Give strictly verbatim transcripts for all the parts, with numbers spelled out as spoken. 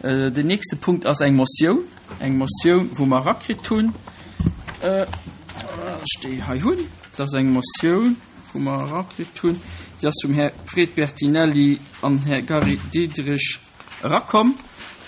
Den nächste Punkt ass eng Motioun, eng Motioun, wou mer erakritt hunn, ech déi hei hunn. Dat ass eng Motioun, wou mer erakritt hunn, déi ass vum Här Fred Bertinelli an Här Gary Diderich erakomm.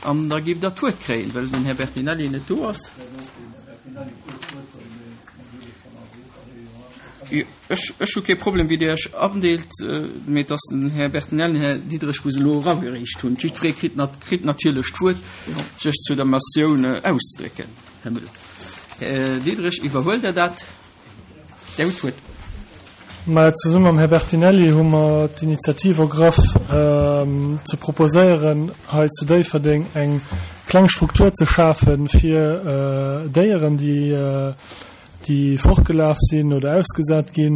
An da géif Der d'Wuert kréien, well den Här Bertinelli net do ass. Ech, ech hu kee Problem, wéi Dir Iech andeelt, mee et ass den Här Bertinelli an den Här Diderich, wou se elo eragereecht hunn. Jiddweree kritt, kritt natierlech d'Wuert, sech zu der Motioun auszedrécken. Här Müller. Här Diderich, iwwerhuelt Der dat? Dir hutt d'Wuert. Mä zesumme mam Här Bertinelli hu mer d'Initiativ ergraff, ze proposéieren, hei zu Déifferdeng eng kleng Struktur ze schafe fir Déieren, déi, déi fortgelaf sinn oder ausgesat gi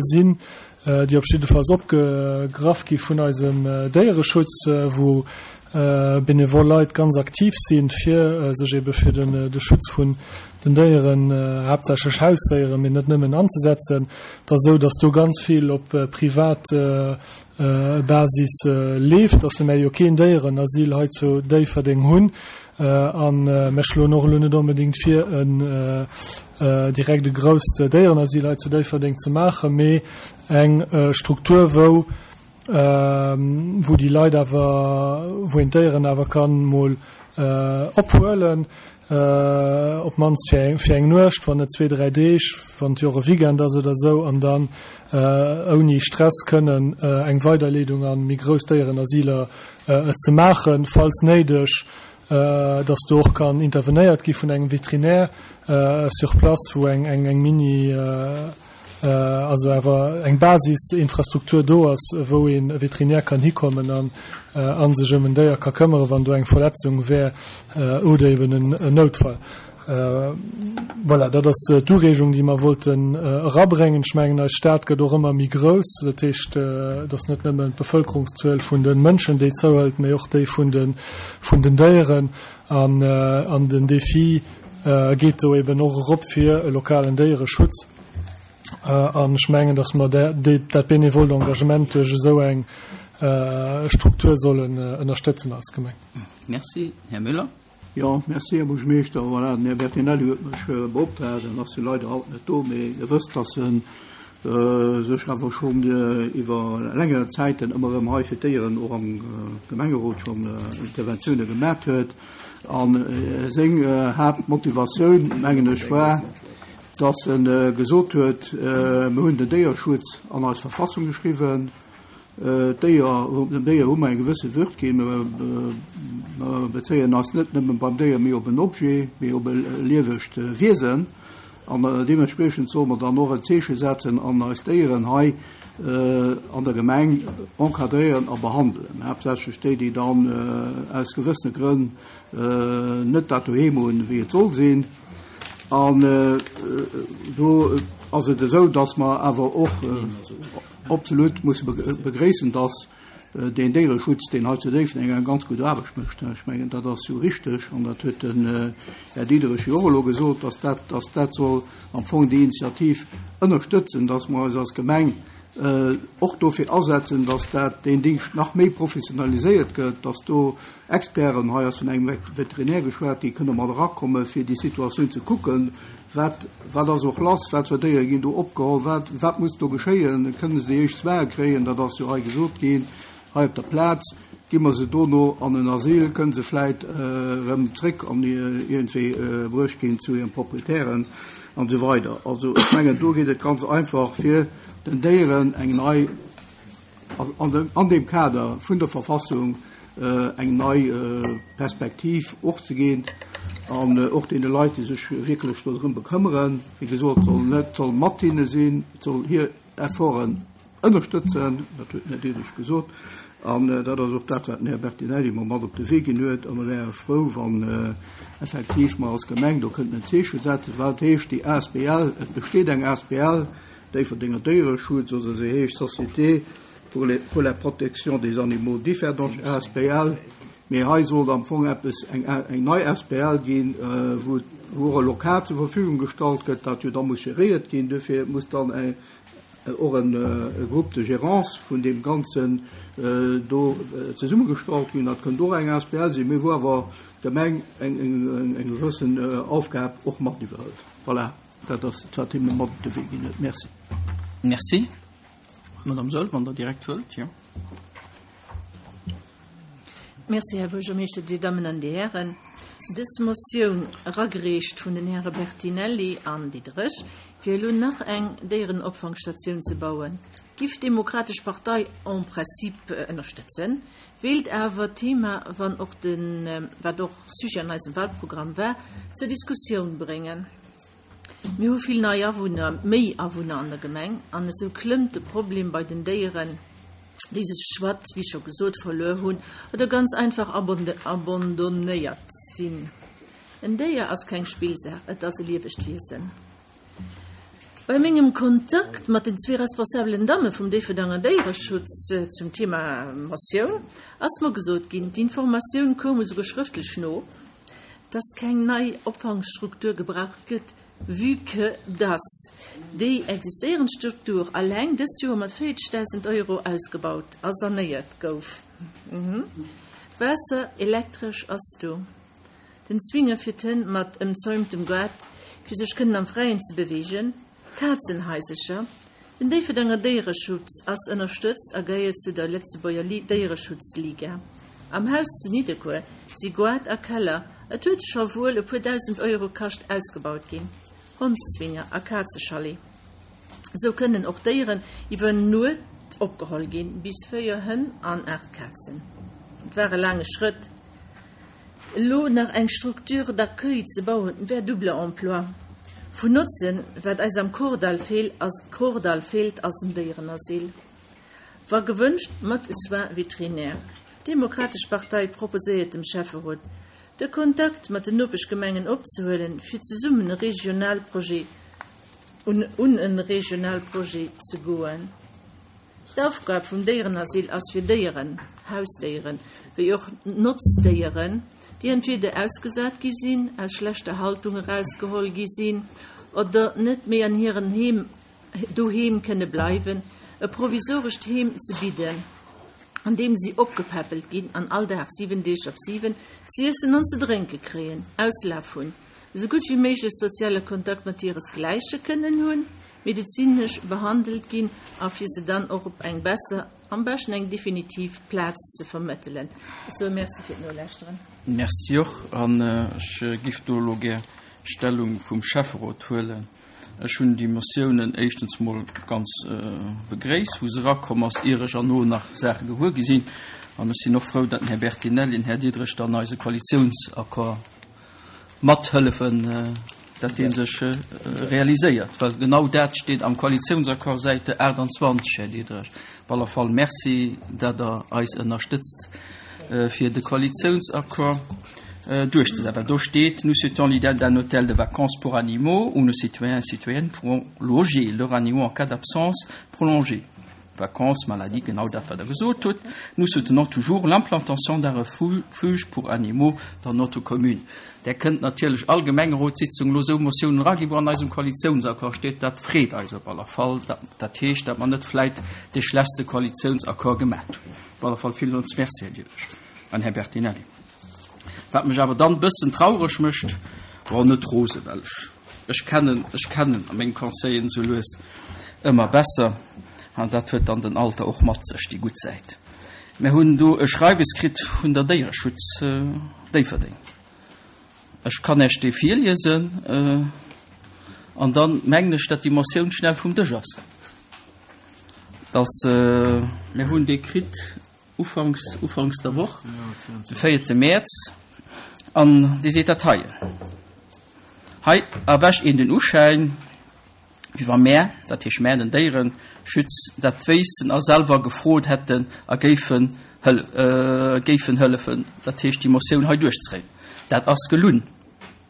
sinn, déi op jiddefalls opgegraff gi vun eisem Déiereschutz, wou benevol Leit ganz aktiv sinn, fir sech ebe fir de Schutz vun den Déieren, haaptsächlech Hausdéieren, mee net nëmmen, anzesetzen. Et ass esou, dass do ganz vill op privat Basis leeft, dass mer jo keen Déierenasyl hei zu Déifferdeng hunn. A mir schloen och elo net onbedéngt vir, en direkt e grousst Déierenasyl hei zu Déifferdeng ze maachen, mee eng Struktur, wou wou déi Leit awer, wou een d'Déieren awer kann mol ophuelen, op d'mannst fir eng, fir eng Nuecht, wann net zwee, dräi Deeg, wann et jo och e Weekend ass oder esou, an dann ouni Stress kënnen eng Weiderleedung a méi grouss Déierenasyler ze maachen, falls néideg, dass do och kann intervenéiert gi vun engem Veterinär sur place, wou eng, eng Mini, also awer eng Basisinfrastruktur do ass, wou ee Veterinär kann hikommen an a sech ëm en Déier ka këmmeren, wann do eng Verletzung wär oder eben en Noutfall. Voilà, dat ass d'Ureegung, déi mer wollten erabréngen. Ech mengen, eis Stad gëtt och ëmmer méi grouss. Dat heescht, et ass net nëmmen d'Bevëlkerungszuel vun de Mënschen, déi zouhëlt, mee och déi vun de, vun den Déieren. An, an den Défi geet do eben och erop fir e lokalen Déiereschutz. An ech mengen, datt mer dat bénévole Engagement duerch esou eng Struktur sollen ënnerstëtzen als Gemeng. Merci. Här Müller. Jo, merci, Här Buergermeeschter. Voilà, den Här Bertinelli huet mech beoptraagt. En ass jo leider haut net do, mee Dir wësst, datt e sech awer schonn iwwer längere Zäiten ëmmer erëm hei fir d'Déieren och am Gemengerot schonn Interventioune gemat huet. A seng Haaptmotivatioun, mengen ech, war, dass e gesot huet, Mir hunn den Déierschutz an eis Verfassung geschriwwen, d'Déier, dem Déier hu mer eng gewësse Würd ginn, mer bezéien eis net nëmme beim Déier méi op en Objet, mee op e liewegt Wiesen. An deementspriechend solle mer dann och en Zeeche setzen an eis Déieren hei an der Gemeng encadréieren a behandelen, haaptsächlech déi, déi dann aus gewëssene Grënn net dat doheem hunn, wéi et soll sinn. An do ass et esou, dass mer awer och absolut musse begréissen, dass deen Déiereschutz, deen hei zu Déifferdeng eng ganz gutt Aarbecht mécht, ech mengen, dat ass jo richteg, an dat huet den Här Diderich jo och elo gesot, dass dat, dass dat soll am Fong déi Initiativ ënnerstëtzen, dass mer eis als Gemeng och dofir asetzen, dass dat, deen Dingscht nach méi professionaliséiert gëtt, dass do Experten, hei ass vun engem Veterinär geschwat ginn, kënne mat erakommen, fir déi Situatioun ze kucken, wat, wat ass och lass, wat fir Déiere ginn do opgeholl, wat, wat muss do geschéien, kënne se déi éischt Soine kréien, dat ass jo hei gesot ginn, hei op der Plaz, gi mer se dono an en Asyl, kënne se vläit erëm zréck an iergendwéi bruecht ginn zu hiren Proprietären an esou weider. Also ech mengen, do geet et ganz einfach, fir den Déieren eng nei, an deem Kader vun der Verfassung eng nei Perspektiv och ze ginn an och deene Leit, déi sech wierklech dodrëm bekëmmeren, wéi gesot, soll net, soll mat hinne sinn, soll hir Efforten ënnerstëtzen, dat huet den Här Diderich gesot, an dat ass och dat, wat den Här Bertinelli mer mat op de Wee ginn huet. A mer wäre frou, wann effektiv mer als Gemeng do kënnten en Zeeche setzen, wat heescht déi asbl, et besteet eng asbl, Déifferdenger Déiereschutz, oder se heescht Société pour les, pour la protection des animaux Differdange asbl, mee hei sollt am Fong eppes, eng, eng nei asbl ginn, wou, wou och e Lokal zur Verfügung gestallt gëtt, dat jo da muss geréiert ginn. Dofir muss dann eng, och e Groupe de gérance vun deem Ganzen do zesummegestallt ginn. Dat kënnt och eng asbl sinn, mee wou awer d'Gemeng eng eng gewëssen Aufgab och mat iwwerhëlt. Voilà, dat ass wat hie mir mat op de Wee ginn huet. Merci. Merci. Madame Saeul, wann Der direkt wëllt, jo. Merci, Här Buergermeeschter, Dir Dammen an Dir Hären. Dës Motioun, eragereecht vun den Häre Bertinelli an Diderich, fir elo nach eng Déierenopfangstatioun ze bauen, giff d'Demokratesch Partei en principe ënnerstëtzen, wéilt awer d'Thema, wann och den, wat och Sujet an eisem Wahlprogramm war, zur Diskussioun bréngen. Mir hu vill nei Awunner, méi Awunner an der Gemeng, an esou klëmmt de Problem bei den Déieren, déi sech soit, wéi scho gesot, verluer hunn oder ganz einfach abandonnéiert sinn. En Déier ass keng Spillsaach, et ass e liewegt Wiesen. Bei mengem Kontakt mat den zwee responsabelen Damme vum Déifferdenger Déiereschutz zum Thema Motioun ass mer gesot ginn, d'Informatioun koum esouguer schrëftlech no, dass keng nei Opfangstruktur gebraucht gëtt, vue que dass déi existéierend Struktur alleng dëst Joer mat véierzegdausend Euro ausgebaut a sanéiert gouf. Waasser, Elektresch ass do. Den Zwinger fir d'Hënn mat ëmzäumtem Gaart, fir sech kënnen am Fräien ze beweegen, Kazenhaisercher. Den Déifferdenger Déiereschutz ass ënnerstëtzt a gehéiert zu der Lëtzebuerger Déiereschutzliga. Am Haus zu Nidderkuer si Goart a Keller, et huet scho wuel e puer dausend Euro kascht, ausgebaut ginn. Hondszwinger a Kazechalet. Esou kënnen och Déieren iwwer Nuet opgeholl ginn, bis véier Hënn an aacht Kazen. Et war e laange Schrëtt. Elo nach eng Structure d'accueil ze bauen, wär double emploi. Vun Notzen, Wat eis am Kordall feelt, ass Kordall feelt, ass en Déierenasyl. Wa gewënscht, mat Soins vétérinaires. D'Demokratesch Partei proposéiert dem Schäfferot, de Kontakt mat den Nopeschgemengen opzehuelen, fir zesummen e Regionalprojet un un e Regionalprojet ze goen. D'Aufgab vum Déierenasyl ass fir Déieren, Hausdéieren wéi och Notzdéieren, déi entweder ausgesat gi sinn, aus schlechter Haltung erausgeholl gi sinn oder net méi an hiren Heem doheem kënne bleiwen, e provisorescht Heem ze bidden, an deem si opgepäppelt ginn an all Dag, siwen Deeg op siwen, z'iessen an ze drénke kréien, Auslaf hunn, esou gutt wéi méiglech soziale Kontakt mat hiresgläiche kënnen hunn, medezinesch behandelt ginn a fir se dann och op eng besser, am beschten eng definitiv Plaz ze vermëttelen. Ech soe Merci fir d'Nolauschteren. Merci och. An ech giff do elo gär Stellung vum Schäfferot huelen. Ech hunn déi Motiounen éischtens mol ganz begréisst, wou se erakomm ass, ier ech erno nach Saache gewuer gi sinn. An ech sinn och frou, datt den Här Bertinelli an den Här Diderich dann eise Koalitiounsaccord mathëllefen, datt dee sech realiséiert, well genau dat steet am Koalitiounsaccord, Säite aachtanzwanzeg, Här Diderich. Op alle Fall Merci, datt Der eis ënnerstëtzt, fir de Koalitiounsaccord duerchzesetzen, well do steet, Nous souhaitons l'idée d'un hôtel de vacances pour animaux où nos citoyens et citoyennes pourront loger leurs animaux en cas d'absence prolongée, vacances, maladie, genau dat, wat Der gesot hutt. Nous soutenons toujours l'implantation d'un refuge pour animaux dans notre commune. Där kënnt natierlech all Gemengerotssitzung elo esou Motiounen eraginn, wou an eisem Koalitiounsaccord steet. Dat freet eis op alle Fall. Dat heescht, datt mer net vläit dee schlechtste Koalitiounsaccord gemat hunn. Op alle Fall villmools Merci, Här Diderich an Här Bertinelli. Wat mech awer dann e bëssen traureg mécht, bon, net rose, well ech, ech kennen, ech kennen meng Conseilleren esou lues ëmmer besser, an dat huet dann den Alter och mat sech, déi gutt Säit. Mir hunn do e Schreiwes kritt vun der Déiereschutz Déifferdeng. Ech kann Iech dee virliesen, an dann mengen ech, datt déi Motioun schnell vum Dësch ass. Dass, mir hunn dee kritt ufanks, ufanks der Woch, de véierte Mäerz, an dee seet dat heien. Hei erwächt een den Uschäin, wéi wa mär, dat heescht mär, den Déiereschutz, dat wéissten a selwer gefrot hätten a géifen géifen hëllefen, dat heescht déi Motioun hei duerchzéien. Dat ass gelunn,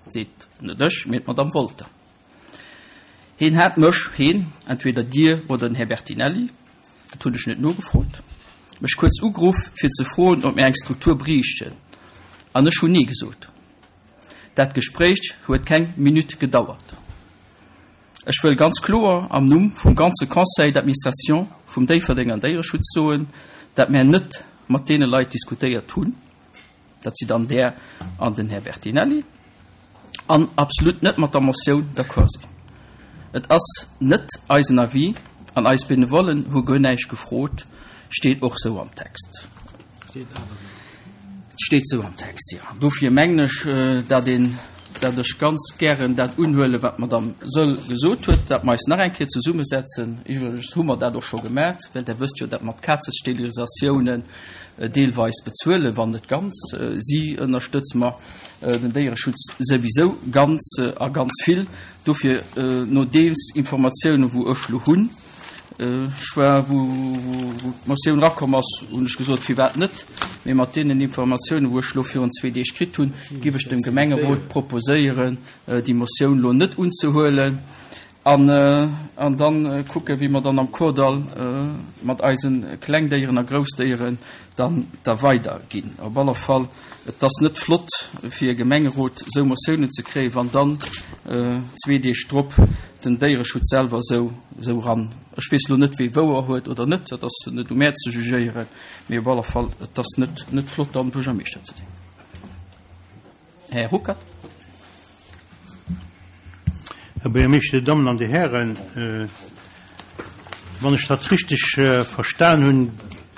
seet net ech, mee d'Madame Wolter. Hien hat mech, hien, entweder Dir oder den Här Bertinelli, dat hunn ech net nogefrot, mech kuerz ugeruff, fir ze froen, ob mir eng Struktur bräichten. An ech hunn Nee gesot. Dat Gespréich huet keng Minutt gedauert. Ech wëll ganz kloer am Numm vum ganze Conseil d'administration vum Déifferdenger Déiereschutz soen, dat mär net mat deene Leit diskutéiert hunn, dat si dann der an den Här Bertinelli, an absolut net mat der Motioun d'accord sinn. Et ass net eisen Avis an eis Benevollen hu guer näischt gefrot, steet och sou am Text. Steet sou am Text, jo. Dofir mengen ech, dat een, dat ech ganz gären dat unhuelen, wat d'Madame Söll gesot huet, dat mer eis nach eng Kéier zesummesetzen. Iwwregens hu mer dat och scho gemat, well Der wësst jo, dat mer d'Kazesterilisatiounen deelweis bezuelen, wann net ganz. Si ënnerstëtze mer den Déiereschutz souwisou ganz a ganz vill. Dofir, nodeems Informatiounen, wou ech lo hunn, ech war, wou d'Motioun erakomm ass, hunn ech gesot, firwat net, mee mat deenen Informatiounen, wou ech lo virun zwee Deeg kritt hunn, giff ech dem Gemengerot proposéieren, déi Motioun lo net unzehuelen an an dann kucken, wéi mer dann am Kordall mat eise Klengdéieren a Groussdéieren dann da weiderginn. Op alle Fall, et ass net flott fir e Gemengerot esou Motiounen ze kréien, wann dann zwee Deeg drop den Déiereschutz selwer esou esou ran. Ech weess elo net, wie wouer huet oder net, dat ass net u mär ze jugéieren, mee op alle Fall, et ass net net flott dann Buergermeeschter ze sinn. Här Ruckert. Här Buergermeeschter, Dir Dammen an Dir Hären, wann ech dat richteg verstan hunn,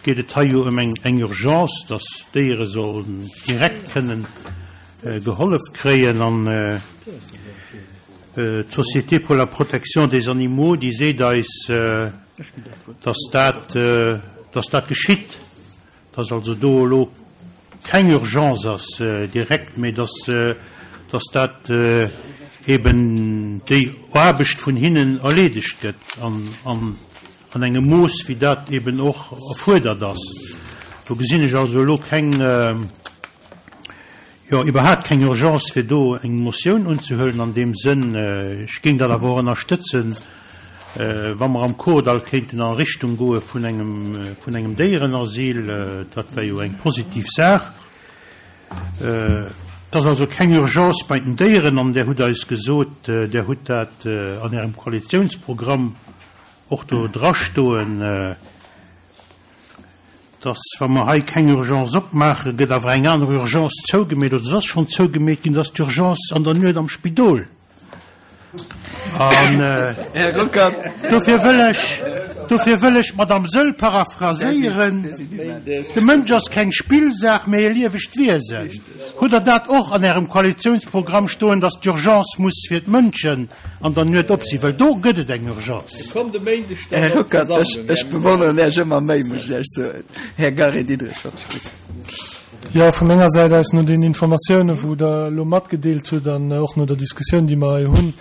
geet et hei jo ëm eng eng Urgence, dass d'Déiere sollen direkt kënnen gehollef kréien an d'Société pour la protection des animaux, déi seet eis, dass dat, dass dat geschitt, dass also do elo keng Urgence ass direkt, mee dass, dass dat eben déi Aarbecht vun hinnen erleedegt gëtt an, an an engem Mooss, wéi dat eben och erfuerdert ass. Do gesinn ech also elo keng, jo, iwwerhaapt keng Urgence, fir do eng Motioun unzehuelen an deem Sënn. Ech géing dat awer och ënnerstëtzen, wa mer am Kordall kéinten a Richtung goe vun engem, vun engem Déierenasyl. Dat wär jo eng positiv Saach. Et ass also keng Urgence bei den Déieren an Der hutt eis gesot, Der hutt dat an Ärem Koalitiounsprogramm och do drastoen, dass, wa mer hei keng Urgence opmaachen, gëtt awer eng aner Urgence zougemeet, oder se ass schonn zougemeet ginn, dat ass d'Urgence an der Nuet am Spidol. An dofir wëll ech, dofir wëll ech d'Madame Söll paraphraséieren, De Mënsch ass keng Spillsaach, mä e liewegt Wiesen. Hutt Der dat och an Ärem Koalitionsprogramm stoen, dass d'Urgence muss fir d'Mënschen an der Nuet op sinn? Well do gëtt et eng Urgence. Här Ruckert, ech, ech bewonneren Iech ëmmer méi, muss ech Iech soen. Här Gary Diderich, wat ech gutt. Jo, vu menger Säit aus, no den Informatiounen, wou Der elo matgedeelt hutt an och no der Diskussioun, déi mer hei hunn,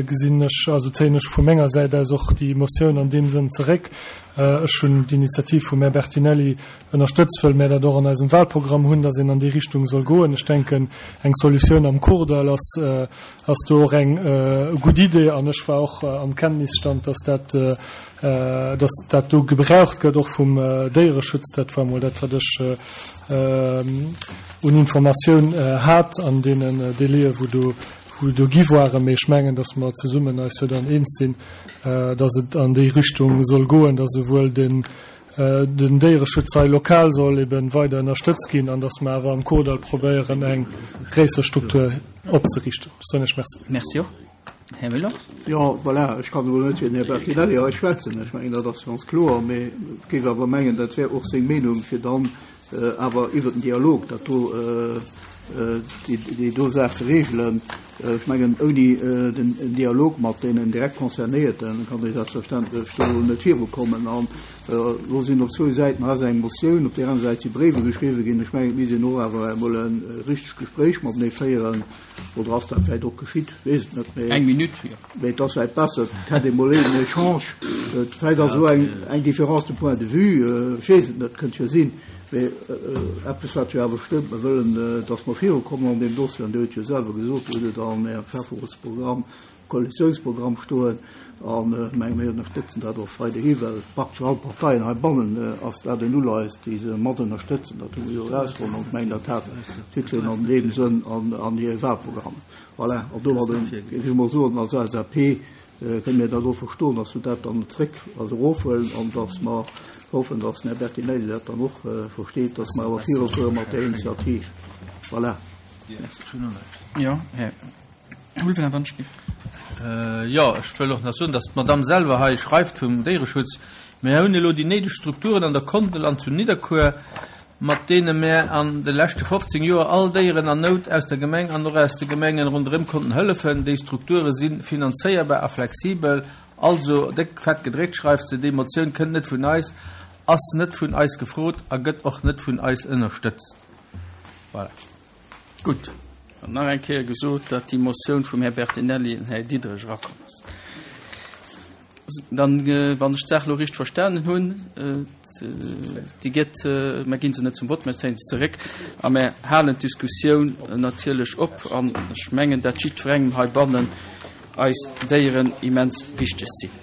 gesinn ech, also zéien ech vu menger Säit aus och déi Motioun an deem Sënn zeréck. Ech hunn d'Initiativ vum Här Bertinelli ënnerstëtzt, wëll mär dat och an eisem Wahlprogramm hunn, dass een an déi Richtung soll goen. Ech denken, eng Solutioun am Kordall ass, ass do och eng gutt Idee an ech war och am Kenntnisstand, dass dat, dass dat do gebraucht gëtt, och vum Déiereschutz. Dat war emol dat, wat ech un Informatioun hat an deenen Délaië wou do, wou do gi waren. Mee ech mengen, dass mer zesummen eis jo dann eens sinn, dass et an déi Richtung soll goen, dass esouwuel den, den Déiereschutz hei lokal soll eben weider ënnerstëtzt ginn an dass mer awer am Kordall probéieren, eng gréisser Struktur opzeriichten. Ech soen Iech Merci. Merci och. Här Müller. Jo, voilà, ech kann elo net fir den Här Bertinelli hei schwätzen, ech mengen, dat ass ganz kloer, mee ech géif awer mengen, dat wär och seng Meenung, fir dann awer iwwert den Dialog dat do, déi do Saach ze regelen. Ech mengen, ouni den Dialog mat deenen direkt Concernéierten kann ee selbstverständlech do net virukommen. An elo sinn op zwou Säiten hei eng Motioun, op där aner Säit si Bréiwe geschriwwen ginn. Ech mengen, et misst een och awer emol e richtegt Gespréich matenee féieren. Oder ass dat vläicht och geschitt? Ech weess et net. Eng Minutt, jo. Mee et ass vläicht besser, et hätt ee mol een Echange. Vläicht ass elo eng, eng Différence de point de vue, ech weess et net, kënnt jo sinn. Mee eppes, wat jo awer stëmmt, mer wëllen, dass mer virukommen an deem Dossier, an Dir hutt jo selwer gesot, Dir hutt et an Ärem Schäfferotsprogramm Koalitiounsprogramm stoen. An ech menge mir ënnerstëtzen dat och weiderhi, well praktesch all Parteien heibannen ass dat en Uleies, déi se mat ënnerstëtzen. Dat hu mer jo erausfonnt an ech mengen dat hat jiddwereen an deem Sënn an hire Wahlprogramm. Voilà, an domadden géif ech emol soen, als LSAP kënne mir dat och verstoen, dass se dat dann zréck, also erofhuelen an dass mer hoffen, dass den Här Bertinelli dat dann och versteet, dass mer awer virufuere mat där Initiativ. Voilà. Merci. Jo, Här Ulveling, wann ech géif. Jo, ech wëll och nach soen, dass d'Madame selwer hei schreift vum Déiereschutz, Mir hunn elo déi néideg Strukturen an der Kondel an zu Nidderkuer, mat deene mär an de leschte fofzéng Joer all Déieren an Nout aus der Gemeng an och aus de Gemengen ronderëm konnten hëllefen. Déi Strukture si finanzéierbar a flexibel. Also, déck fett gedréckt schreift se, déi Motioun kënnt net vun eis, ass net vun eis gefrot a gëtt och net vun eis ënnerstëtzt. Voilà. Gutt, an nach eng Kéier gesot, datt déi Motioun vum Här Bertinelli an Här Diderich erakomm ass. Dann, wann ech d'Saach elo richteg verstanen hunn, déi gëtt, mer gi se net zum Vott, mer zéien se zeréck a mer halen d'Diskussioun natierlech op. An ech mengen, dat jiddwerengem heibannen eis Déieren immens wichteg sinn.